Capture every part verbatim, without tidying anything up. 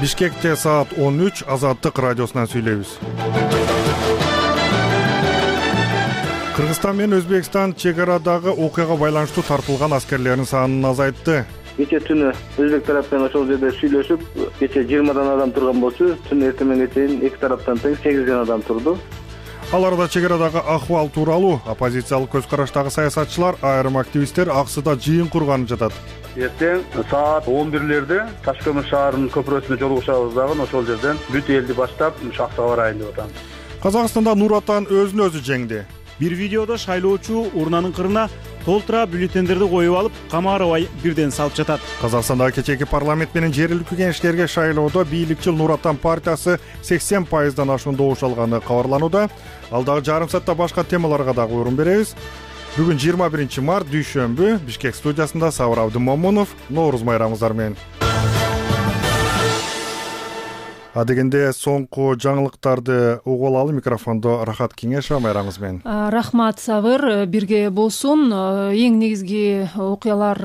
Бишкекте саат он үч Азаттык радиосунан сүйлөйбүз. Кыргызстан менен Өзбекстан чек арадагы окуяга байланыштуу тартылган аскерлердин санын азайтты. Кече түнү Өзбек тарап менен ошол жерде сүйлөшүп, кече жыйырмадан адам турган болчу, түн эртемеңге чейин эки тараптан тең сегизден адам турду. Ал арада чек арадагы ахуал тууралуу оппозициялык көз караштагы саясатчылар, айрым активисттер аксыда жыйын курганып жатат. Эртең саат он бирлерде Таш көмүр шаарынын көпүрөсүнө жолугушабыз дагы ошол жерден бүт элди баштап шахтага барайын деп атам. Казакстанда Нур Отан өзүн өзү жеңди. Бир видеодо шайлоочу урнанын кырына толтура бюллетендерди коюп алып, камарабай бирден салып жатат. Казакстанда кечээки парламент менен жергиликтүү кеңештерге шайлоодо бийликчил Нур Отан партиясы сексен пайыздан ашуун добуш алганы кабарланууда. Ал дагы жарым саатта башка темаларга дагы орун беребиз. Бүгүн жыйырма биринчи март дүйшөмбү, Бишкек студиясында Сабыр Абдымомунов, Нооруз майрамыңыздар менен. Адегенде соңку жаңылыктарды угуп алалы. Микрофондо Рахат Кеңешова, майрамыңыз менен. Рахмат Сабыр, бирге болсун. Эң негизги окуялар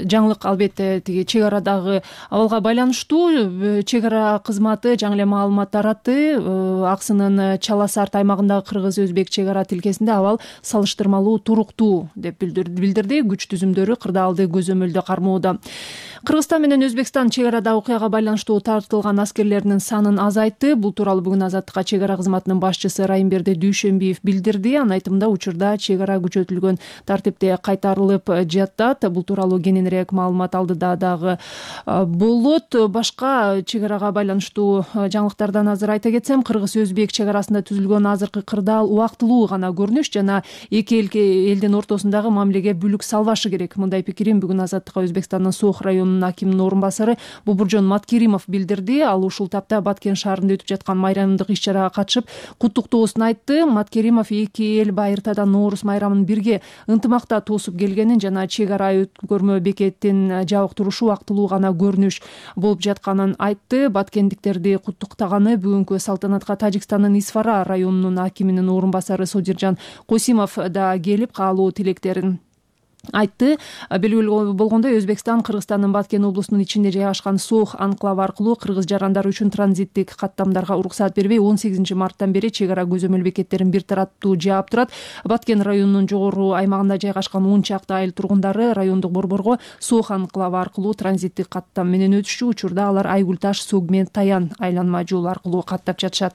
жаңылык албетте тиги чек арадагы абалга байланыштуу. Чек ара кызматы жаңы эле маалымат таратты. Аксынын Чала Сарт аймагындагы кыргыз-өзбек чек ара тилкесинде абал салыштырмалуу туруктуу деп билдирди. Күч түзүмдөрү кырдаалды көзөмөлдө кармоодо. Кыргызстан менен Өзбекстан чек арада окуяга байланыштуу тартылган аскерлердин санын азайтты. Бул тууралуу бүгүн Азаттыкка чек ара кызматынын башчысы Райымберди Дүйшөмбиев билдирди. Анын айтымында учурда чек ара күчөтүлгөн тартипте кайтарылып жатат. Бул тууралуу кененирээк маалымат алдыда дагы болот. Башка чек арага байланыштуу жаңылыктардан азыр айта кетсем, кыргыз-өзбек чек арасында түзүлгөн азыркы кырдаал убактылуу гана көрүнүш жана эки элдин ортосундагы мамилеге бүлүк салбашы керек. Мындай пикирин бүгүн Азаттыкка Өзбекстандын Соох районунун акиминин орун басары Бубуржон Маткеримов билдирди. Ал ушул тапта Баткен шаарында өтүп жаткан майрамдык иш-чарага катышып, куттуктоосун айтты. Маткеримов эки эл байыртадан Ноорус майрамын бирге ынтымакта тосуп келгенин жана чек ара өткөрмө бекетин жабык турушу убактылуу гана көрүнүш болуп жатканын айтты. Баткендиктерди куттуктаганы бүгүнкү салтанатка Тажикстандын Исфара районунун акиминин орун басары Содиржан Косимов да келип, каалоо тилектерин айтты. Белгилүү болгондой, Өзбекстан Кыргызстандын Баткен облусунун ичинде жайгашкан Соох анклавы аркылуу кыргыз жарандары үчүн транзиттик каттамдарга уруксаат бербей, он сегизинчи марттан бери чек ара көзөмөл бекеттерин бир тараптуу жаап турат. Баткен районунун жогору аймагында жайгашкан он чакты айыл тургундары райондук борборго Соох анклавы аркылуу транзиттик каттам менен өтүшчү. Учурда алар Айгүл Таш, Согмен, Таян айланма жол аркылуу каттап жатышат.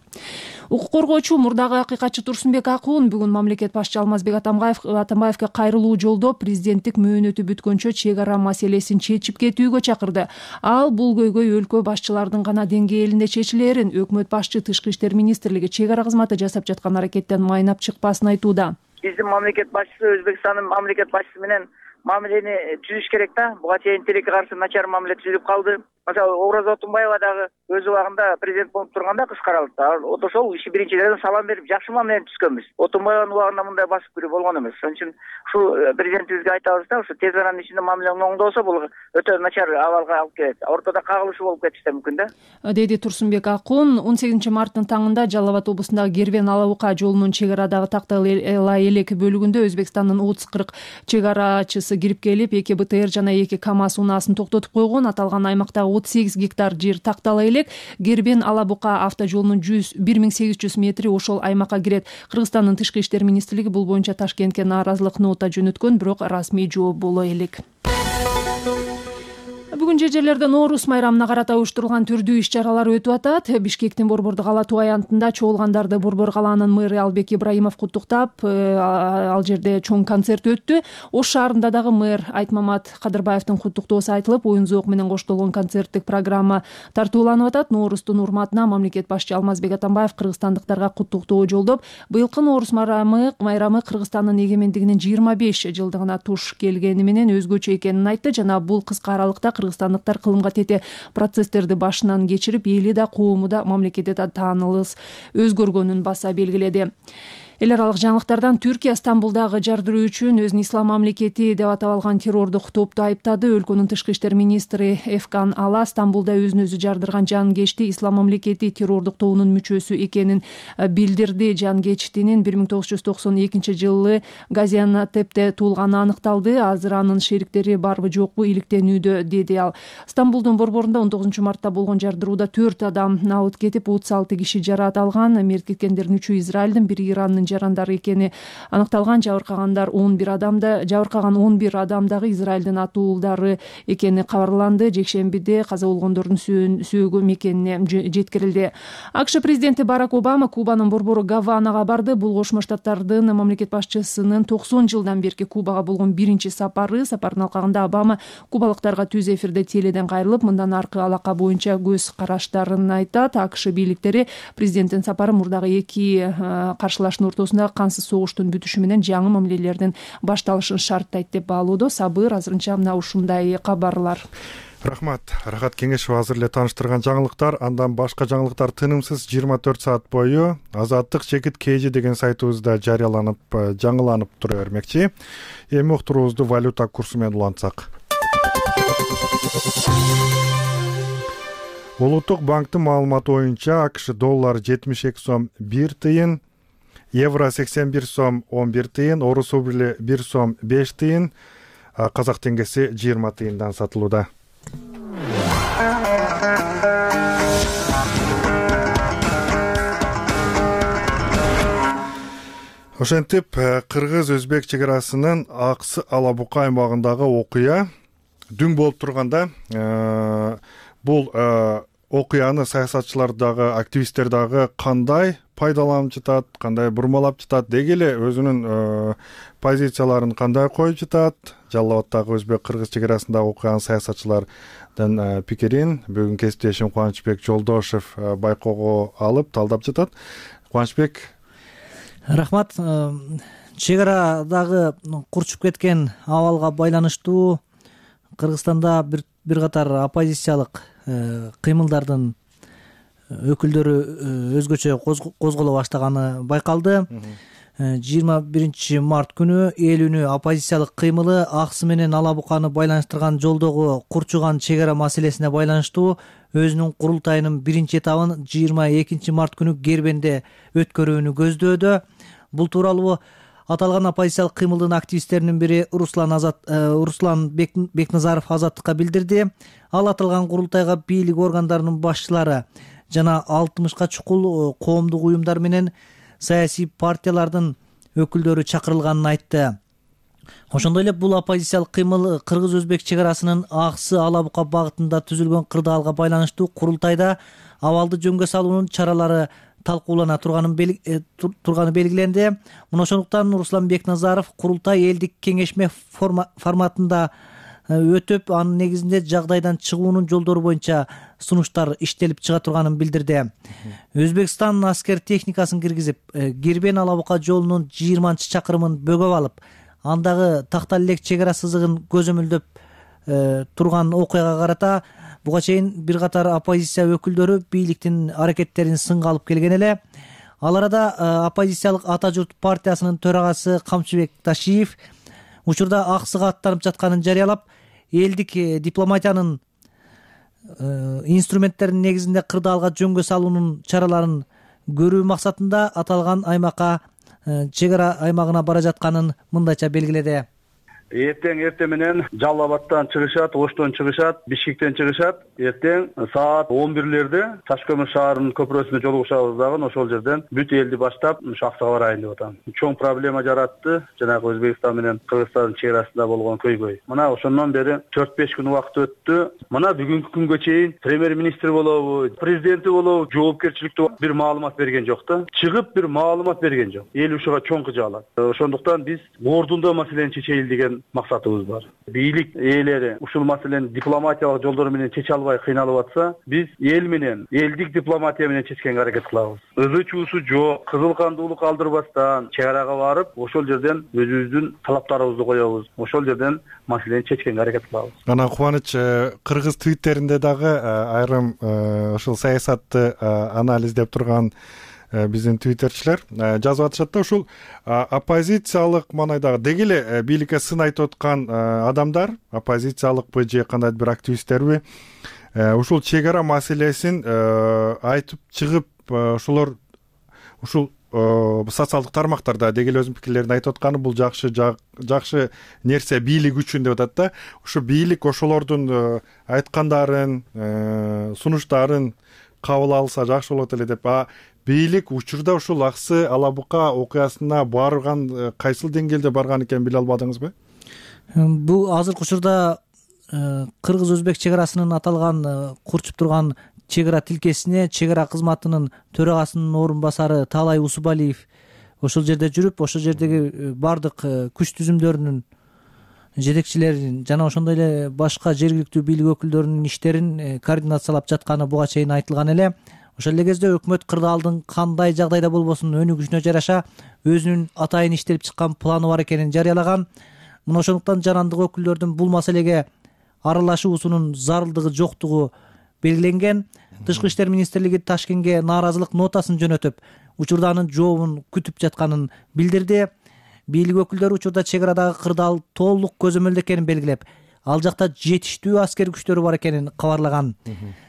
Укук коргоочу мурдагы акыйкатчы Турсунбек Акуун бүгүн мамлекет башчы Алмазбек Атамбаевге кайрылуу жолдоп президенттик мөөнөтү бүткөнчө чек ара маселесин чечип кетүүгө чакырды. Ал бул көйгөй өлкө башчылардын гана деңгээлинде чечилерин, өкмөт башчы Тышкы иштер министрлиги чек ара кызматы жасап жаткан аракеттен майнап чыкпасын айтууда. Биздин мамлекет башчысы Өзбекстандын мамлекет башчысы менен мамилени түзүш керек да. Буга чейин тилекке каршы начар мамиле түзүлүп калды. Мисалы, Ораза Отунбаева дагы өз убагында президент болуп турганда кыскаралды. Ошол иши биринчиден салам берип, жакшы мамилени түзгөнбүз. Отунбаеванын убагында мындай басып кирүү болгон эмес. Ошон үчүн ушул президентибизге айтабыз да, ушу тез аранын ичинде мамилең оңдолсо, бул өтө начар абалга алып келет. Ортодо кагылышуу болуп кетиши да мүмкүн да. Деди Турсунбек Акуун. он сегизинчи марттын таңында Жалал Абад облусундагы Гербен Алабука жолунун чек арадагы Тактала элек бөлүгүндө Өзбекстандын отуз кырк чек арачысы кирип келип, эки БТР жана эки КАМАЗ унаасын токтотуп койгон. Аталган аймактагы отуз сегиз гектар жер Тактала элек Гербен Алабука автожолунун бир миң сегиз жүз метри ошол аймакка кирет. Кыргызстандын Тышкы иштер министрлиги бул боюнча Ташкентке нааразылык нота жөнөткөн, бирок расмий жооп боло элек. Бүгүн жер жерлерде Ноорус майрамына карата уюштурулган түрдүү иш-чаралар өтүп атат. Бишкектин Борбордук кала туаянтында чогулгандарды Борбор калаанын мэрі Албек Ибраимов куттуктап, ал жерде чоң концерт өттү. Ош шаарында дагы мэр Айтмамат Кадырбаевдин куттуктоосу айтылып, оюн зоок менен коштолгон концерттик программа тартууланып атат. Ноорустун урматына мамлекет башчы Алмазбек Атамбаев кыргызстандыктарга куттуктоо жолдоп, быйылкы Ноорус майрамы майрамы Кыргызстандын эгемендигинин жыйырма беш жылдыгына туш келгени менен өзгөчө экенин айтты жана бул кыска аралыкта кыргызстандыктар кылымга тете процесстерди башынан кечирип, эли да коому да мамлекети да таанылыс өзгөргөнүн баса белгиледи. Эл аралык жаңылыктардан Түркия Стамбулдагы жардыруу үчүн өзүн ислам мамлекети деп атап алган террордук топту айыптады. Өлкөнүн тышкы иштер министри Эфкан Ала Стамбулда өзүн өзү жардырган жангечти ислам мамлекети террордук тобунун мүчөсү экенин билдирди. Жангечтинин бир миң тогуз жүз токсон экинчи жылы Газиантепте туулганы аныкталды. Азыр анын шериктери барбы жокпу иликтенүүдө, деди ал. Стамбулдун борборунда он тогузунчу мартта болгон жардырууда төрт адам абыт кетип, отуз алты киши жараат алган. Мерт кеткендердин үчөө Израилдин, бири Ирандын жарандары экени аныкталган. Жабыркагандар он бир адамда жабыркаган он бир адам дагы Израилдин атуулдары экени кабарланды. Жекшембиде каза болгондордун сөөгү мекенине жеткирилди. АКШ президенти Барак Обама Кубанын борбору Гаванага барды. Бул Кошмо Штаттардын мамлекет башчысынын токсон жылдан берки Кубага болгон биринчи сапары. Сапардын алкагында Обама кубалыктарга түз эфирде теледен кайрылып, мындан аркы алака боюнча көз караштарын айтат. АКШ бийликтери президенттин сапары мурдагы эки каршылаштын ортосунда кансыз согуштун бүтүшү менен жаңы мамилелердин башталышын шарттайт деп баалоодо. Сабыр азырынча мына ушундай кабарлар. Рахмат. Рахат Кеңешова азыр эле тааныштырган жаңылыктар. Андан башка жаңылыктар тынымсыз жыйырма төрт саат бою Азаттык Чекит Кежи деген сайтыбызда жарыяланып, жаңыланып тура бермекчи. Эми уктуруубузду валюта курсу менен улантсак. Улуттук банктын маалыматы боюнча АКШ доллар жетимиш эки сом бир тыйын, евро сексен бир сом он бир тыйын, орус рубли бир сом беш тыйын, казак теңгеси жыйырма тыйындан сатылууда. Ошентип, кыргыз-өзбек чек арасынын Аксы Алабука аймагындагы окуя дүң болуп турганда, бул окуяны саясатчылар дагы, активисттер дагы кандай пайдаланып жатат, кандай бурмалап жатат, деги эле өзүнүн позицияларын кандай коюп жатат, Жалал Абаддагы өзбек-кыргыз чек арасындагы окуянын саясатчылардын пикирин бүгүн кесиптешим Кубанычбек Жолдошев байкоого алып талдап жатат. Кубанычбек, рахмат. Чек арадагы курчуп кеткен абалга байланыштуу Кыргызстанда бир бир катар оппозициялык кыймылдардын өкүлдөрү өзгөчө козголо баштаганы байкалды. жыйырма биринчи март күнү эл үнү оппозициялык кыймылы Аксы менен Алабуканы байланыштырган жолдогу курчуган чек ара маселесине байланыштуу өзүнүн курултайынын биринчи этабын жыйырма экинчи март күнү Кербенде өткөрүүнү көздөөдө. Бул тууралуу аталган оппозициялык кыймылдын активисттеринин бири Руслан Азат Руслан Бекназаров Азаттыкка билдирди. Ал аталган курултайга бийлик органдарынын башчылары жана алтымышка чукул коомдук уюмдар менен саясий партиялардын өкүлдөрү чакырылганын айтты. Ошондой эле бул оппозициялык кыймыл кыргыз-өзбек чек арасынын Аксы Алабука багытында түзүлгөн кырдаалга байланыштуу курултайда абалды жөнгө салуунун чаралары талкуулана турганын турганы белгиленди. Мына ошондуктан Руслан Бекназаров курултай элдик кеңешме форматында өтүп, анын негизинде жагдайдан чыгуунун жолдору боюнча сунуштар иштелип чыга турганын билдирди. Өзбекстан аскер техникасын киргизип, Кербен Алабука жолунун жыйырманчы чакырымын бөгөп алып, андагы тактал элек чек ара сызыгын көзөмөлдөп турган окуяга карата буга чейин бир катар оппозиция өкүлдөрү бийликтин аракеттерин сынга алып келген эле. Ал арада оппозициялык Ата журт партиясынын төрагасы Камчыбек Ташиев учурда Аксыга аттанып жатканын жарыялап, элдик дипломатиянын инструменттеринин негизинде кырдаалга жөнгө салуунун чараларын көрүү максатында аталган аймакка чек ара аймагына бара жатканын мындайча белгиледи. Эртең эрте менен Жалал Абадтан чыгышат, Оштон чыгышат, Бишкектен чыгышат. Эртең саат он бирлерде Таш көмүр шаарынын көпүрөсүнө жолугушабыз дагы ошол жерден бүт элди баштап Аксыга барайын деп атам. Чоң проблема жаратты жанагы Өзбекстан менен Кыргызстандын чек арасында болгон көйгөй. Мына ошондон бери төрт беш күн убакыт өттү. Мына бүгүнкү күнгө чейин премьер-министр болобу, президенти болобу жоопкерчиликтүү бир маалымат берген жок да. Чыгып бир маалымат берген жок. Эл ушуга чоң кыжаалат. Ошондуктан биз ордунда маселени чечейли деген максатыбыз бар. Бийлик ээлери ушул маселени дипломатиялык жолдор менен чече албай кыйналып атса, биз эл менен, элдик дипломатия менен чечкенге аракет кылабыз. Өзү чуусу жок, кызыл кандуулук алдырбастан чек арага барып, ошол жерден өзүбүздүн талаптарыбызды коебуз. Ошол жерден маселени чечкенге аракет кылабыз. Ана Кубаныч, кыргыз твиттеринде дагы айрым ушул саясатты анализдеп турган биздин твиттерчилер жазып атышат да, ушул оппозициялык маанайдагы деги эле бийликке сын айтып аткан адамдар, оппозициялыкпы же кандайдыр бир активисттерби, ушул чек ара маселесин айтып чыгып, ошолор ушул социалдык тармактарда деги эле өзүнүн пикирлерин айтып атканы бул жакшы жакшы нерсе бийлик үчүн деп атат да. Ушу бийлик ошолордун айткандарын, сунуштарын кабыл алса жакшы болот эле деп. А бийлик учурда ушул Аксы Ала Бука окуясына барган кайсыл деңгээлде барган экенин биле албадыңызбы? Бул азыркы учурда кыргыз-өзбек чек арасынын аталган курчуп турган чек ара тилкесине чек ара кызматынын төрагасынын орун басары Таалай Усубалиев ошол жерде жүрүп, ошол жердеги бардык күч түзүмдөрүнүн жетекчилерин жана ошондой эле башка жергиликтүү бийлик өкүлдөрүнүн иштерин координациялап жатканы буга чейин айтылган эле. Ошол эле кезде өкмөт кырдаалдын кандай жагдайда болбосун өнүгүшүнө жараша өзүнүн атайын иштелип чыккан планы бар экенин жарыялаган. Мына ошондуктан жарандык өкүлдөрдүн бул маселеге аралашуусунун зарылдыгы жоктугу белгиленген. Тышкы иштер министрлиги Ташкентке нааразылык нотасын жөнөтүп, учурда анын жообун күтүп жатканын билдирди. Бийлик өкүлдөрү учурда чек арадагы кырдаал толук көзөмөлдө экенин белгилеп, ал жакта жетиштүү аскер күчтөрү бар экенин кабарлаган.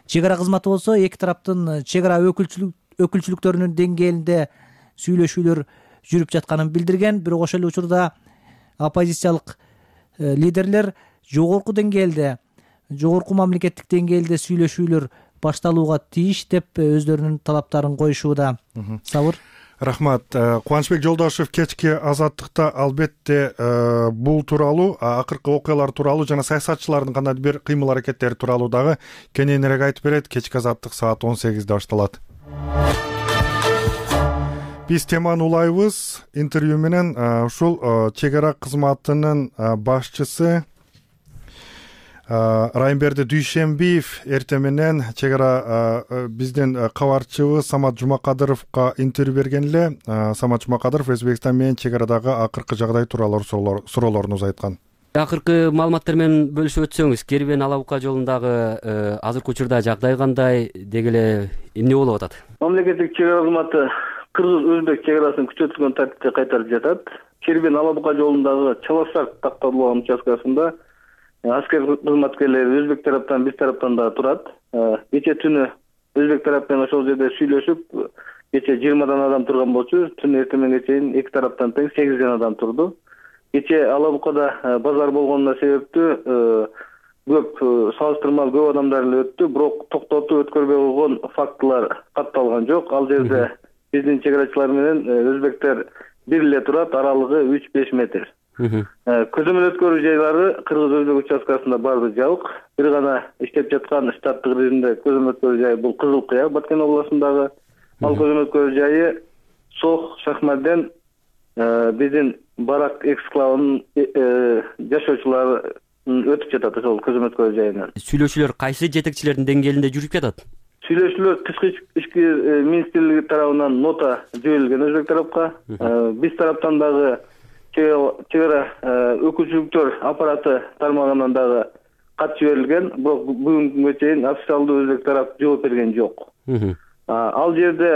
Чек ара кызматы болсо эки тараптын чек ара өкүлчүлүктөрүнүн деңгээлинде сүйлөшүүлөр жүрүп жатканын билдирген. Бирок ошол эле учурда оппозициялык лидерлер жогорку деңгээлде, жогорку мамлекеттик деңгээлде сүйлөшүүлөр башталууга тийиш деп өздөрүнүн талаптарын коюшууда. Сабыр. Рахмат. Кубанычбек Жолдошев кечки Азаттыкта албетте бул тууралуу, акыркы окуялар тууралуу жана саясатчылардын кандайдыр бир кыймыл аракеттери тууралуу дагы кененирээк айтып берет. Кечки Азаттык саат он сегизде башталат. Биз теманы улайбыз. Интервью менен ушул чек ара кызматынын башчысы Райымберди Дүйшенбиев эртең менен чек ара биздин кабарчыбыз Самат Жумакадыровго интервью берген эле. Самат Жумакадыров Өзбекстан менен чек арадагы акыркы жагдай тууралуу суроолорун узайткан. Акыркы маалыматтар менен бөлүшүп өтсөңүз, Кербен Ала Бука жолундагы азыркы учурда жагдай кандай, деги эле эмне болуп атат? Мамлекеттик чек ара кызматы кыргыз-өзбек чек арасын күчөтүлгөн тартипте кайтарып жатат. Кербен Ала Бука жолундагы Чалашар такталган участкасында аскер кызматкерлери өзбек тараптан, биз тараптан да турат. Кече түнү өзбек тарап менен ошол жерде сүйлөшүп, кече жыйырмадан адам турган болчу, түн эртеменге чейин эки тараптан тең сегизден адам турду. Кече Ала Букада базар болгонуна себептүү көп салыштырмалуу көп адамдар эле өттү, бирок токтотуп өткөрбөй койгон фактылар катталган жок. Ал жерде биздин чек арачылар менен өзбектер бир эле турат, аралыгы үч беш метр. Көзөмөл өткөрүү жайлары кыргыз-өзбек участкасында баары жабык. Бир гана иштеп жаткан штаттык режимде көзөмөл өткөрүү жайы бул Кызыл Кыя, Баткен областындагы. Ал көзөмөл өткөрүү жайы Сох Шахмарден биздин барак эксклавынын жашоочулары өтүп жатат ошол көзөмөл өткөрүү жайынан. Сүйлөшүүлөр кайсы жетекчилердин деңгээлинде жүрүп жатат? Сүйлөшүүлөр тышкы ишкер министрлиги тарабынан нота жиберилген өзбек тарапка. Биз тараптан дагы чек ара өкүлчүлүктөр аппараты тармагынан дагы кат жиберилген, бирок бүгүнкү күнгө чейин официалдуу өзбек тарап жооп берген жок. Ал жерде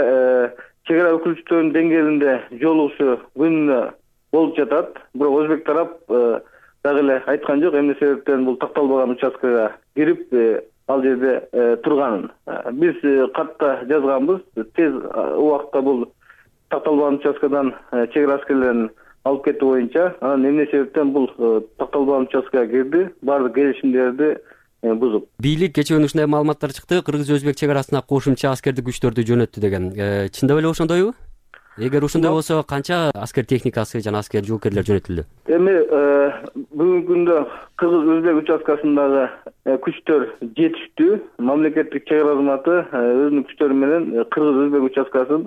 чек ара өкүлчүлүктөрүнүн деңгээлинде жолугушуу күнүнө болуп жатат, бирок өзбек тарап дагы эле айткан жок эмне себептен бул такталбаган участкага кирип ал жерде турганын. Биз катта жазганбыз, тез убакытта бул такталбаган участкадан чек ара аскерлерин алып кетүү боюнча, анан эмне себептен бул такталбаган участкага кирди, баардык келишимдерди бузуп. Бийлик кечээ ушундай маалыматтар чыкты, кыргыз-өзбек чек арасына кошумча аскердик күчтөрдү жөнөттү деген. Чындап эле ошондойбу? Эгер ошондой болсо, канча аскер техникасы жана аскер жоокерлер жөнөтүлдү? Эми бүгүнкү күндө кыргыз-өзбек участкасындагы күчтөр жетиштүү. Мамлекеттик чек ара кызматы өзүнүн күчтөрү менен кыргыз-өзбек участкасын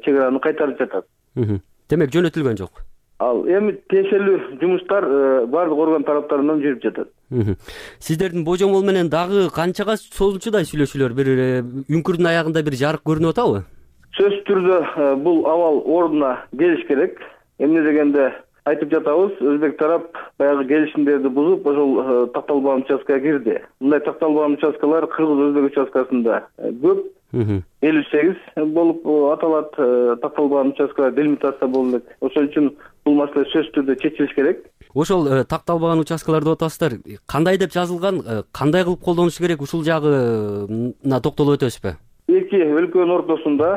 чек араны кайтарып жатат. Демек жөнөтүлгөн жок. Ал эми тиешелүү жумуштар баардык орган тараптарынан жүрүп жатат. Сиздердин божомол менен дагы канчага созулчудай сүйлөшүүлөр, бир үңкүрдүн аягында бир жарык көрүнүп атабы? Сөзсүз түрдө бул абал ордуна келиш керек. Эмне дегенде айтып жатабыз, өзбек тарап баягы келишимдерди бузуп, ошол такталбаган участкага кирди. Мындай такталбаган участкалар кыргыз-өзбек участкасында көп. элүү сегиз болуп аталат. Такталбаган участкалар делимитация болуп элек. Ошон үчүн бул маселе сөзсүз түрдө чечилиш керек. Ошол такталбаган участкалар деп атасыздар. Кандай деп жазылган, кандай кылып колдонуш керек, ушул жагына токтолуп өтөсүзбү? Эки өлкөнүн ортосунда,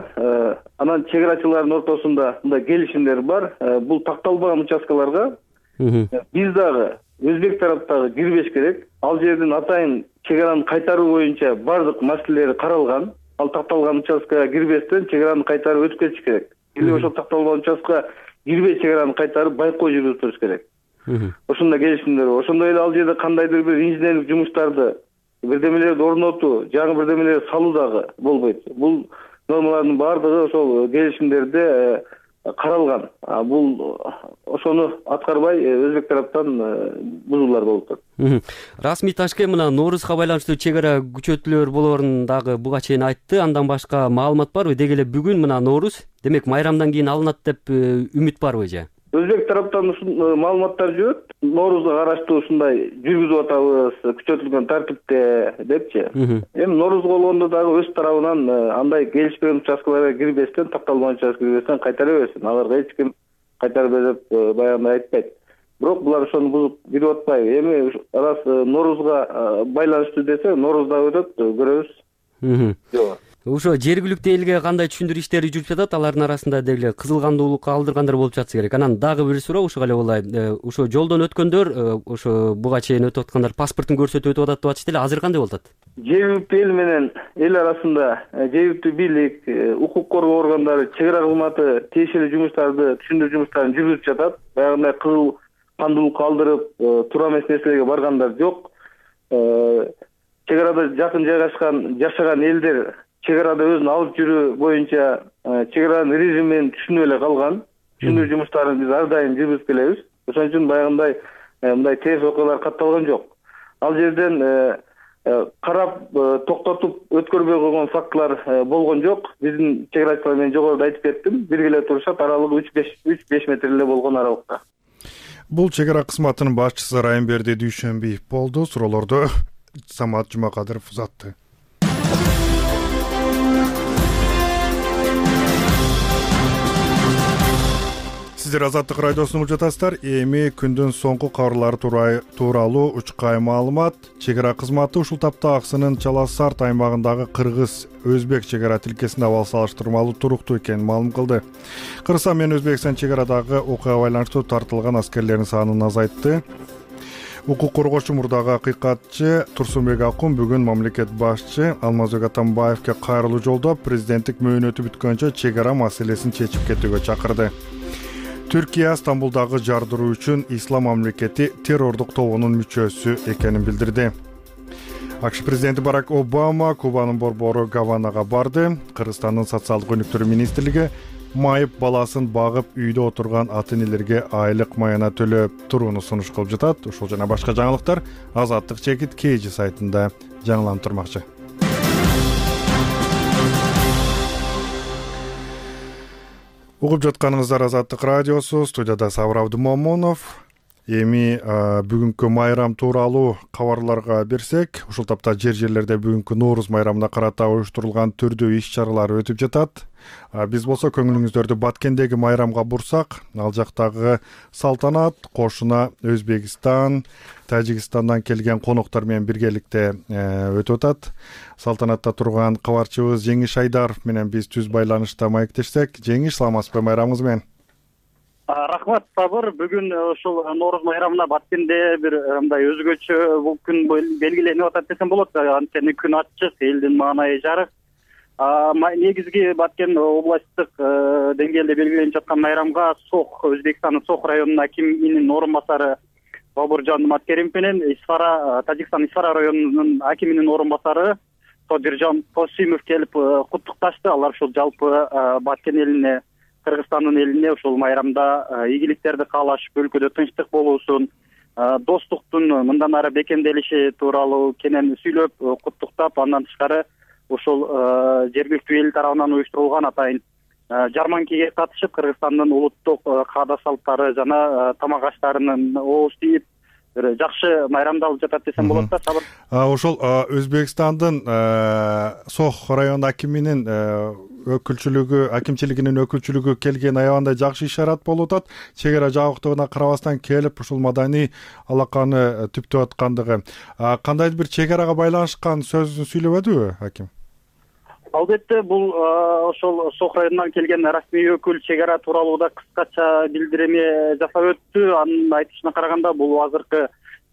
анан чек арачылардын ортосунда мындай келишимдер бар. Бул такталбаган участкаларга биз дагы өзбек тараптагы кирбеш керек. Ал жердин атайын чек араны кайтаруу боюнча бардык маселелери каралган. Ал такталган участкага кирбестен чек араны кайтарып өтүп кетиш керек. Или ошол такталган участкага кирбей чек араны кайтарып байкоо жүргүзүп туруш керек. Ошондой келишимдер бар. Ошондой эле ал жерде кандайдыр бир инженерлик жумуштарды, бирдемелерди орнотуу, жаңы бирдемелерди салуу дагы болбойт. Бул нормалардын баардыгы ошол келишимдерде каралган. Бул ошону аткарбай өзбек тараптан бузуулар болуп атат. Расмий Ташкент мына Ноорузга байланыштуу чек ара күчөтүүлөр болоорун дагы буга чейин айтты. Андан башка маалымат барбы? Деги эле бүгүн мына Нооруз, демек майрамдан кийин алынат деп үмүт барбы же? Өзбек тараптан маалыматтар жүрөт. Ноорузга караштуу ушундай жүргүзүп атабыз, күчөтүлгөн тартипте депчи. Эми Ноорузга болгондо дагы өз тарабынан андай келишпеген участкаларга кирбестен, такталган участкага кирбестен кайтара берсин. Аларга эч ким кайтарып бер деп баягындай айтпайт. Бирок булар ошону бузуп кирип атпайбы. Эми раз Ноорузга байланыштуу десе, Ноорузда өтөт, көрөбүз. Жок. Ошо жергиликтүү элге кандай түшүндүрүү иштери жүрүп жатат? Алардын арасында деги кызыл кандуулукка алдыргандар болуп жатса керек. Анан дагы бир суроо ушуга эле болай. Ошо жолдон өткөндөр, ошо буга чейин өтүп аткандар паспортун көрсөтүп өтүп атат деп атышты эле. Азыр кандай болуп атат? Жергиликтүү эл менен эл арасында жергиликтүү бийлик, укук коргоо органдары, чек ара кызматы тиешелүү жумуштарды, түшүндүрүү жумуштарын жүргүзүп жатат. Баягындай кызыл кандуулукка алдырып, туура эмес нерселерге баргандар жок. Чек арада жакын жайгашкан, жашаган элдер чек арада өзүн алып жүрүү боюнча чек аранын режимин түшүнүп эле калган. Түшүндүрүү жумуштарын биз ар дайым жүргүзүп келебиз. Ошон үчүн баягындай мындай терс окуялар катталган жок. Ал жерден карап токтотуп өткөрбөй койгон фактылар болгон жок. Биздин чек арачылар мен жогоруда айтып кеттим, биргеле турушат, аралыгы үч беш метр эле болгон аралыкта. Бул чек ара кызматынын башчысы Райымберди Дүйшөнбиев болду. Суроолорду Самат Жумакадыров узатты. Сиздер Азаттык радиосун угуп жатасыздар. Эми күндүн соңку кабарлары тууралуу учкай маалымат. Чек ара кызматы ушул тапта Аксынын Чаласарт аймагындагы кыргыз-өзбек чек ара тилкесинде абал салыштырмалуу туруктуу экенин маалым кылды. Кыргызстан менен Өзбекстан чек арадагы окуяга байланыштуу тартылган аскерлердин санын азайтты. Укук коргоочу мурдагы акыйкатчы Турсунбек Акун бүгүн мамлекет башчы Алмазбек Атамбаевге кайрылуу жолдоп, президенттик мөөнөтү бүткөнчө чек ара маселесин чечип кетүүгө чакырды. Түркия Стамбулдагы жардыруу үчүн Ислам мамлекети террордук тобунун мүчөсү экенин билдирди. АКШ президенти Барак Обама Кубанын борбору Гаванага барды. Кыргызстандын социалдык өнүктүрүү министрлиги майып баласын багып үйдө отурган ата-энелерге айлык маяна төлөп турууну сунуш кылып жатат. Ушул жана башка жаңылыктар Азаттык чекит кей жи сайтында жаңыланып турмакчы. Угуп жатканыңыздар Азаттык радиосу, студияда Сабыр Абдымомунов. Эми бүгүнкү майрам тууралуу кабарларга берсек, ушул тапта жер жерлерде бүгүнкү Нооруз майрамына карата уюштурулган түрдүү иш-чаралар өтүп жатат. Биз болсо көңүлүңүздөрдү Баткендеги майрамга бурсак, ал жактагы салтанат кошуна Өзбекстан, Тажикстандан келген коноктор менен биргеликте өтүп атат. Салтанатта турган кабарчыбыз Жеңиш Айдаров менен биз түз байланышта маектешсек. Жеңиш, саламатсызбы, майрамыңыз менен? Рахмат, Сабыр. Бүгүн ушул Нооруз майрамына Баткенде бир мындай өзгөчө бул күн белгиленип атат десем болот. Анткени күн ачык, элдин маанайы жарык. Негизги Баткен областтык деңгээлде белгиленип жаткан майрамга Сох, Өзбекстандын Сох районунун акиминин орун басары Бобуржан Маткеримов менен Исфара, Тажикстан Исфара районунун акиминин орун басары Тодиржан Косимов келип куттукташты. Алар ушул жалпы Баткен элине, Кыргызстандын элине ушул майрамда ийгиликтерди каалашып, өлкөдө тынчтык болуусун, достуктун мындан ары бекемделиши тууралуу кенен сүйлөп, куттуктап, андан тышкары ушул жергиликтүү эл тарабынан уюштурулган атайын жарманкеге катышып, Кыргызстандын улуттук каада салттары жана тамак аштарынын ооз тийип, бир жакшы майрамдалып жатат десем болот да. Сабыр. Ошол Өзбекстандын Сох район акиминин өкүлчүлүгү, акимчилигинин өкүлчүлүгү келген аябандай жакшы ишарат болуп атат. Чек ара жабыктыгына карабастан келип ушул маданий алаканы түптөп аткандыгы. Кандайдыр бир чек арага байланышкан сөзүн сүйлөбөдүбү аким? Албетте, бул ошол Сох районунан келген расмий өкүл чек ара тууралуу да кыскача билдирме жасап өттү. Анын айтышына караганда бул азыркы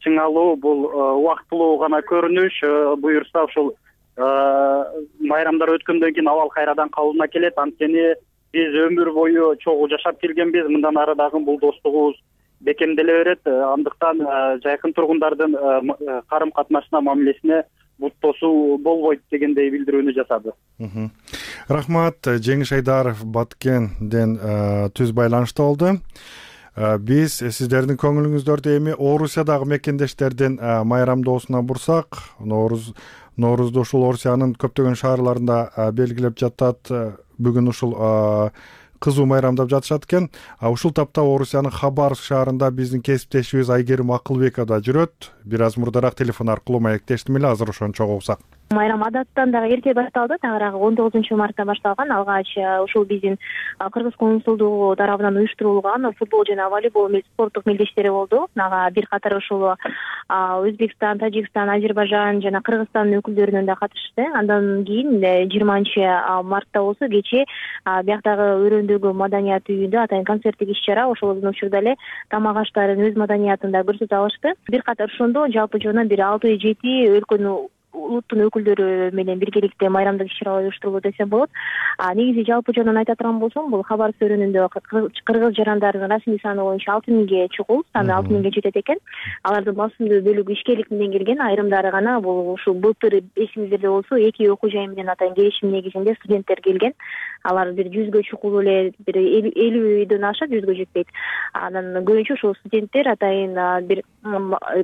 чыңалуу, бул убактылуу гана көрүнүш. Буюрса ушул майрамдар өткөндөн кийин абал кайрадан калыбына келет. Анткени биз өмүр бою чогуу жашап келгенбиз. Мындан ары дагы бул достугубуз бекемделе берет. Андыктан жайкын тургундардын карым катнашына, мамилесине буттосуу болбойт дегендей билдирүүнү жасады. Рахмат. Жеңиш Айдаров Баткенден түз байланышта болду. Биз сиздердин көңүлүңүздөрдү эми Орусиядагы мекендештердин майрамдоосуна бурсак, Нооруз Ноорузду ушул Орусиянын көптөгөн шаарларында белгилеп жатат. Бүгүн ушул кызуу майрамдап жатышат экен. Ушул тапта Орусиянын Хабаровск шаарында биздин кесиптешибиз Айгерим Акылбекова да жүрөт. Бир аз мурдараак телефон аркылуу маектештим эле, азыр ошону чогуу уксак. Майрам адаттан дагы эрте башталды. Тагыраак он тогузунчу мартта башталган. Алгач ушул биздин Кыргыз консулдугу тарабынан уюштурулган футбол жана волейбол спорттук мелдештери болду. Ага бир катар ушул Өзбекстан, Тажикстан, Азербайжан жана Кыргызстандын өкүлдөрүнөн да катышты. Андан кийин жыйырманчы мартта болсо кечээ бияктагы өрөөндөгү маданият үйүндө атайын концерттик иш-чара, ошол учурда эле тамак аштарын өз маданиятын да көрсөтө алышты. Бир катар ошондо жалпы жана бир алты жети өлкөнүн улуттун өкүлдөрү менен биргеликте майрамдык иш-чаралар уюштурулду десем болот. Негизи жалпы жөнүнөн айта турган болсом, бул Хабаровск өрөөнүндө кыргыз жарандарынын расмий саны боюнча алты миңге чукул, саны алты миңге жетет экен. Алардын басымдуу бөлүгү ишкерлик менен келген, айрымдары гана бул ушул былтыр эсиңиздерде болсо эки окуу жай менен атайын келишим негизинде студенттер келген. Алар бир жүзгө чукул эле, бир элүүдөн ашат, жүзгө жетпейт. Анан көбүнчө ушул студенттер атайын бир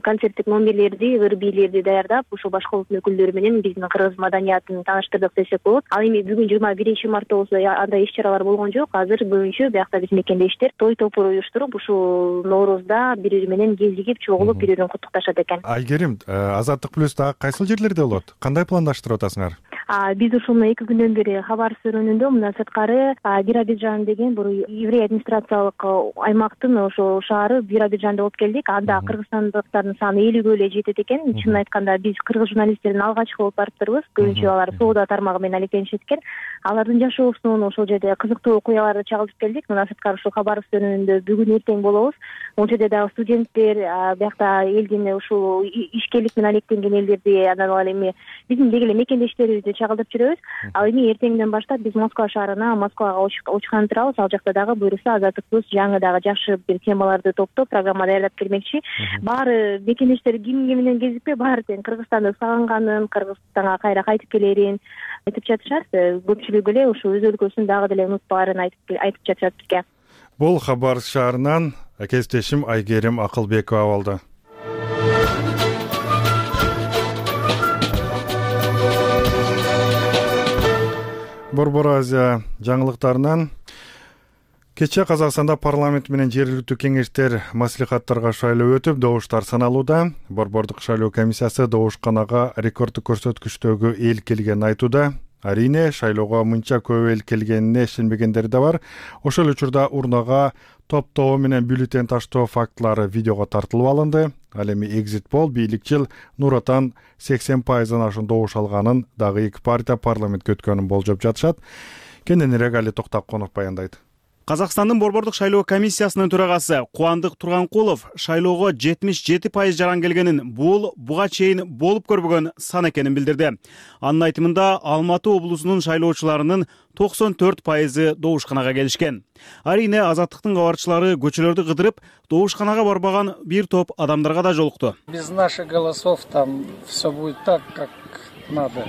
концерттик номерлерди, ыр бийлерди даярдап, ушул башка улуттун өкүлдөрү менен биздин кыргыз маданиятын тааныштырдык десек болот. Ал эми бүгүн жыйырма биринчи мартта болсо андай иш-чаралар болгон жок. Азыр көбүнчө биякта биз мекендештер той топур уюштуруп, ушул Ноорузда бири-бири менен кезигип, чогулуп, бири-бирин куттукташат экен. Айгерим, Азаттык плюс дагы кайсыл жерлерде болот? Кандай пландаштырып атасыңар? Биз ушул эки күндөн бери Хабаровск өрөөнүндө, мындан сырткары Биробиджан деген бул еврей администрациялык аймактын ошол шаары Биробиджанда болуп келдик. Анда кыргызстандыктардын саны элүүгө эле жетет экен. Чынын айтканда биз кыргыз журналисттердин алгачкы болуп барыптырбыз. Көбүнчө алар соода тармагы менен алектенишет экен. Алардын жашоосун, ошол жерде кызыктуу окуяларды чагылтып келдик. Мындан сырткары ушул Хабаровск өрөөнүндө бүгүн эртең болобуз. Ошол жерде дагы студенттер, биякта элдин ушул ишкерлик менен алектенген элдерди, анан эми биздин деги эле мекендештерибизди чагылдырып жүрөбүз. Ал эми эртеңден баштап биз Москва шаарына, Москвага учкан турабыз. Ал жакта дагы буюрса Азаттык плюс жаңы дагы жакшы бир темаларды топтоп, программа даярдап келмекчи. Баары мекендештер ким ким менен кезикпей, баары тең Кыргызстанды сагынганын, Кыргызстанга кайра кайтып келерин айтып жатышат. Көпчүлүгү эле ушул өз өлкөсүн дагы деле унутпаарын айтып айтып жатышат бизге. Бул Хабаровск шаарынан кесиптешим Айгерим Акылбекова болду. Борбор Азия жаңылыктарынан кечээ Казакстанда парламент менен жергиликтүү кеңештер маслихаттарга шайлоо өтүп, добуштар саналууда. Борбордук шайлоо комиссиясы добушканага рекорддук көрсөткүчтөгү эл келгенин айтууда. Арине шайлоого мынча көп эл келгенине ишенбегендер да бар. Ошол учурда урнага топтоо менен бюллетень таштоо фактылары видеого тартылып алынды. Ал эми экзит пол бийликчил Нур Отан сексен пайыздан ашуун добуш алганын, дагы эки партия парламентке өткөнүн болжоп жатышат. Кененирээк Али Токтоконов баяндайт. Казакстандын борбордук шайлоо комиссиясынын төрагасы Кубандык Турганкулов шайлоого жетимиш жети пайыз жаран келгенин, бул буга чейин болуп көрбөгөн сан экенин билдирди. Анын айтымында Алматы облусунун шайлоочуларынын токсон төрт пайызы добушканага келишкен. Арине Азаттыктын кабарчылары көчөлөрдү кыдырып, добушканага барбаган бир топ адамдарга да жолукту. Без наших голосов там все будет так, как надо.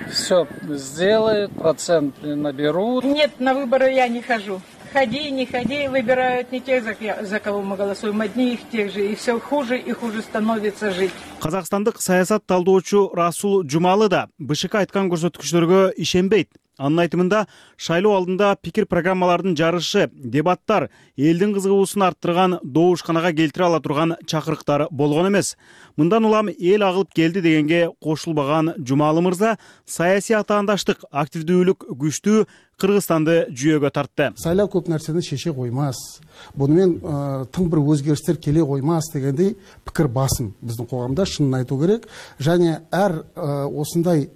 Все сделают, процент наберут. Нет, на выборы я не хожу. Ходи, не ходи, выбирают не тех, за кого мы голосуем, одни их тех же, и все хуже и хуже становится жить. Казакстандык саясат талдоочу Расул Жумалы да БШК айткан көрсөткүчтөргө ишенбейт. Анын айтымында шайлоо алдында пикир программалардын жарышы, дебаттар элдин кызыгуусун арттырган, добушканага келтире ала турган чакырыктар болгон эмес. Мындан улам эл агылып келди дегенге кошулбаган Жумалы мырза саясий атаандаштык, активдүүлүк күчтүү Кыргызстанды жүйөгө тартты. Сайлоо көп нерсени шеше коймас. Буну менен тың бир өзгөрүштөр келе коймас дегендей пикир басым биздин коомдо, шынын айтуу керек. Және әр осындай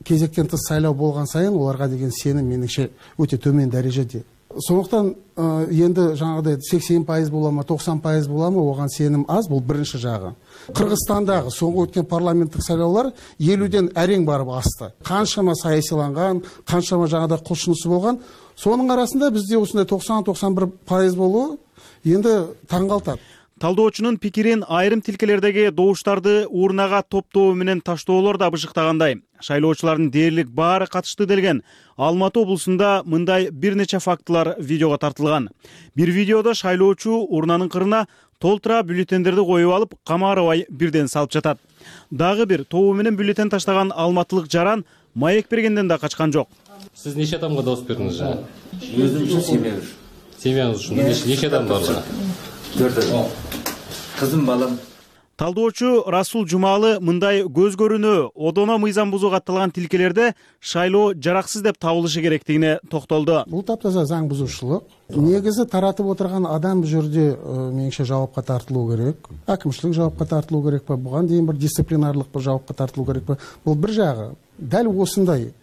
кезектен тыс сайлоо болгон сайын оларга деген сеним менимче өтө төмөн дарежеде. Сондуктан енді жаңағыдай сексен пайыз бола ма, токсон пайыз бола ма, оған сенім аз, бұл бірінші жағы. Кыргызстандағы соңғы өткен парламенттік сайлаулар елуден әрең барып асты. Қаншама саясиланған, қаншама жаңағыдай құлшынысы болған. Соның арасында бізде осындай токсон токсон бир пайыз болуы енді таңғалтады. Талдоочунун пикирин айрым тилкелердеги добуштарды урнага топтоо менен таштоолор да быжыктагандай. Шайлоочулардын дээрлик баары катышты делген Алматы облусунда мындай бир нече фактылар видеого тартылган. Бир видеодо шайлоочу урнанын кырына толтура бюллетендерди коюп алып, камаарабай бирден салып жатат. Дагы бир тобу менен бюллетен таштаган алматылык жаран маек бергенден да качкан жок. Сиз нече адамга добуш бердиңиз жана? Өзүм үчүн семья үчүн. Семьяңыз үчүн нече адам бар жана? Төрт адам. Кызым, балам. Талдоочу Расул Жумалы мындай көз көрүнүү, одоно мыйзам бузуу катталган тилкелерде шайлоо жараксыз деп табылышы керектигине токтолду. Бул таптаза заң бузушулук. Негизи таратып отурган адам бул жерде менимче жабапка тартылуу керек. Акимчилик жабапка тартылуу керек па, буга дейин бир дисциплинарлык бир жабапка тартылуу керек па. Бул бир жагы. Дал осындай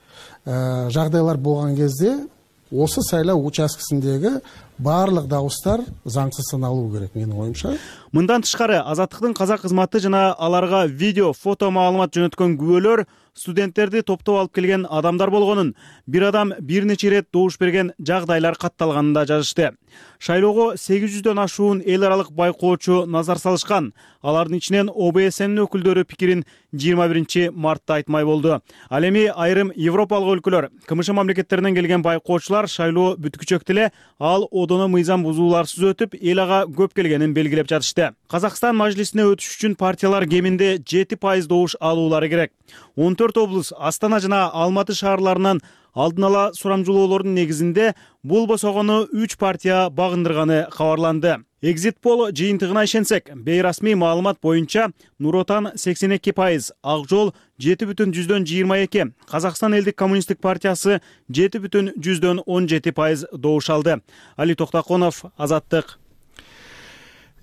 жагдайлар болгон кезде осы сайлау участкасындагы барлык дауыстар заңсыз саналуу керек менин оюмча. Мындан тышкары Азаттыктын казак кызматы жана аларга видео, фото маалымат жөнөткөн күбөлөр студенттерди топтоп алып келген адамдар болгонун, бир адам бир нече ирет добуш берген жагдайлар катталганын да жазышты. Шайлоого сегиз жүздөн ашуун эл аралык байкоочу назар салышкан. Алардын ичинен О Б С Нин өкүлдөрү пикирин жыйырма биринчи мартта айтмай болду. Ал эми айрым европалык өлкөлөр, К М Ш мамлекеттеринен келген байкоочулар шайлоо бүткүчөктө эле ал одоно мыйзам бузууларсыз өтүп, эл ага көп келгенин белгилеп жатышты. Казакстан мажлисине өтүш үчүн партиялар кеминде жети пайыз добуш алуулары керек. он төрт облус, Астана жана Алматы шаарларынан алдын ала сурамжылоолордун негизинде бул босогону үч партия багындырганы кабарланды. Экзит пол жыйынтыгына ишенсек, бейрасмий маалымат боюнча Нур Отан сексен эки пайыз, Ак Жол жети бүтүн жүздөн жыйырма эки, Казакстан элдик коммунисттик партиясы жети бүтүн жүздөн он жети пайыз добуш алды. Али Токтаконов, Азаттык.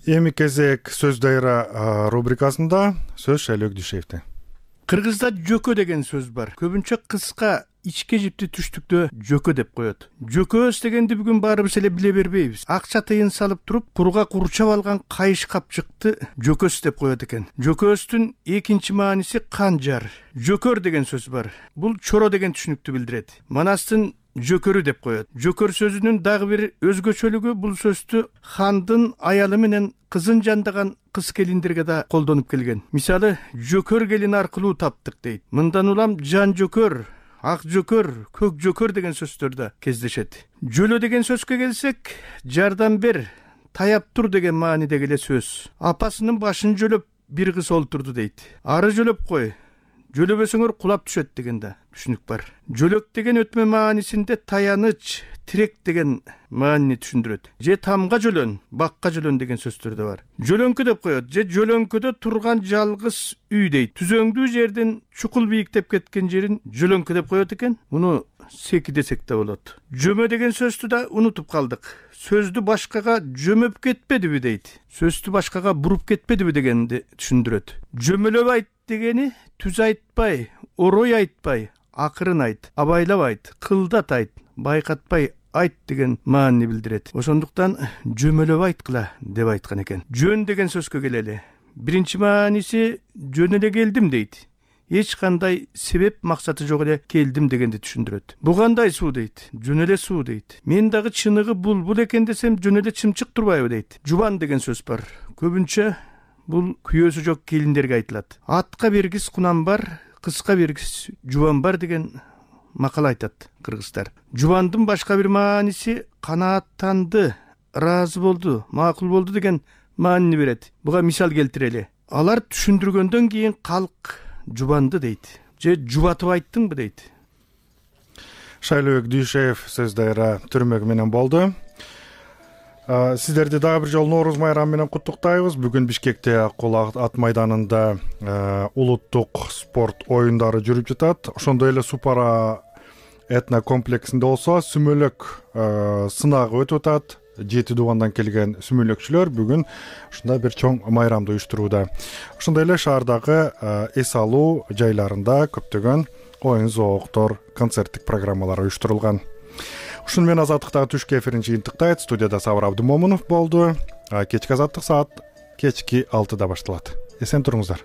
Эми кезек сөз дайра рубрикасында сөз Шайлоо Дүйшеевде. Кыргызда жөкө деген сөз бар. Көбүнчө кыска ичке жипти түштүктө жөкө деп коет. Жөкөс дегенди бүгүн баарыбыз эле биле бербейбиз. Акча тыйын салып туруп, курга курчап алган кайыш капчыкты жөкөс деп коет экен. Жөкөстүн экинчи мааниси канжар. Жөкөр деген сөз бар. Бул чоро деген түшүнүктү билдирет. Манастын жөкөрү деп коет. Жөкөр сөзүнүн дагы бир өзгөчөлүгү бул сөздү хандын аялы менен кызын жандаган кыз келиндерге да колдонуп келген. Мисалы, жөкөр келин аркылуу таптык дейт. Мындан улам жан жөкөр, ак жөкөр, көк жөкөр деген сөздөр да кездешет. Жөлө деген сөзгө келсек, жардам бер, таяп тур деген маанидеги эле сөз. Апасынын башын жөлөп бир кыз олтурду дейт. Ары жөлөп кой, жөлөбөсөңөр кулап түшөт деген да түшүнүк бар. Жөлөк деген өтмө маанисинде таяныч, тирек деген маанини түшүндүрөт. Же тамга жөлөн, бакка жөлөн деген сөздөр да бар. Жөлөңкү деп коет, же жөлөңкөдө турган жалгыз үй дейт. Түзөңдүү жерден чукул бийиктеп кеткен жерин жөлөңкү деп коет экен. Муну секи десек да болот. Жөмө деген сөздү да унутуп калдык. Сөздү башкага жөмөп кетпедиби дейт. Сөздү башкага буруп кетпедиби дегенди түшүндүрөт. Жөмөлөп айт дегени түз айтпай, орой айтпай, акырын айт, абайлап айт, кылдат айт, байкатпай айт деген маанини билдирет. Ошондуктан жөмөлөп айткыла деп айткан экен. Жөн деген сөзгө келели. Биринчи мааниси жөн эле келдим дейт. Эч кандай себеп максаты жок эле келдим дегенди түшүндүрөт. Бу кандай суу дейт? Жөн эле суу дейт. Мен дагы чыныгы булбул экен десем жөн эле чымчык турбайбы дейт. Жубан деген сөз бар. Көбүнчө бул күйөөсү жок келиндерге айтылат. Атка бергис кунан бар, кызга бергис жубан бар деген макал айтат кыргыздар. Жубандын башка бир мааниси канааттанды, ыраазы болду, макул болду деген маанини берет. Буга мисал келтирели. Алар түшүндүргөндөн кийин калк жубанды дейт. Же жубатып айттыңбы дейт. Шайлообек Дүйшеев сөздөрү түрмөк менен болду. Сиздерди дагы бир жолу Нооруз майрамы менен куттуктайбыз. Бүгүн Бишкекте Кол ат майданында улуттук спорт оюндары жүрүп жатат. Ошондой эле Супара этно комплексинде болсо сүмөлөк сынагы өтүп атат. Жети дубандан келген сүмөлөкчүлөр бүгүн ушундай бир чоң майрамды уюштурууда. Ошондой эле шаардагы эс алуу жайларында көптөгөн оюн зоокдор, концерттик программалар уюштурулган. Ушуну менен Азаттыктагы түшкү эфирин жыйынтыктайт. Студияда Сабыр Абдымомунов болду. Кечки Азаттык саат кечки алтыда башталат. Эсен туруңуздар.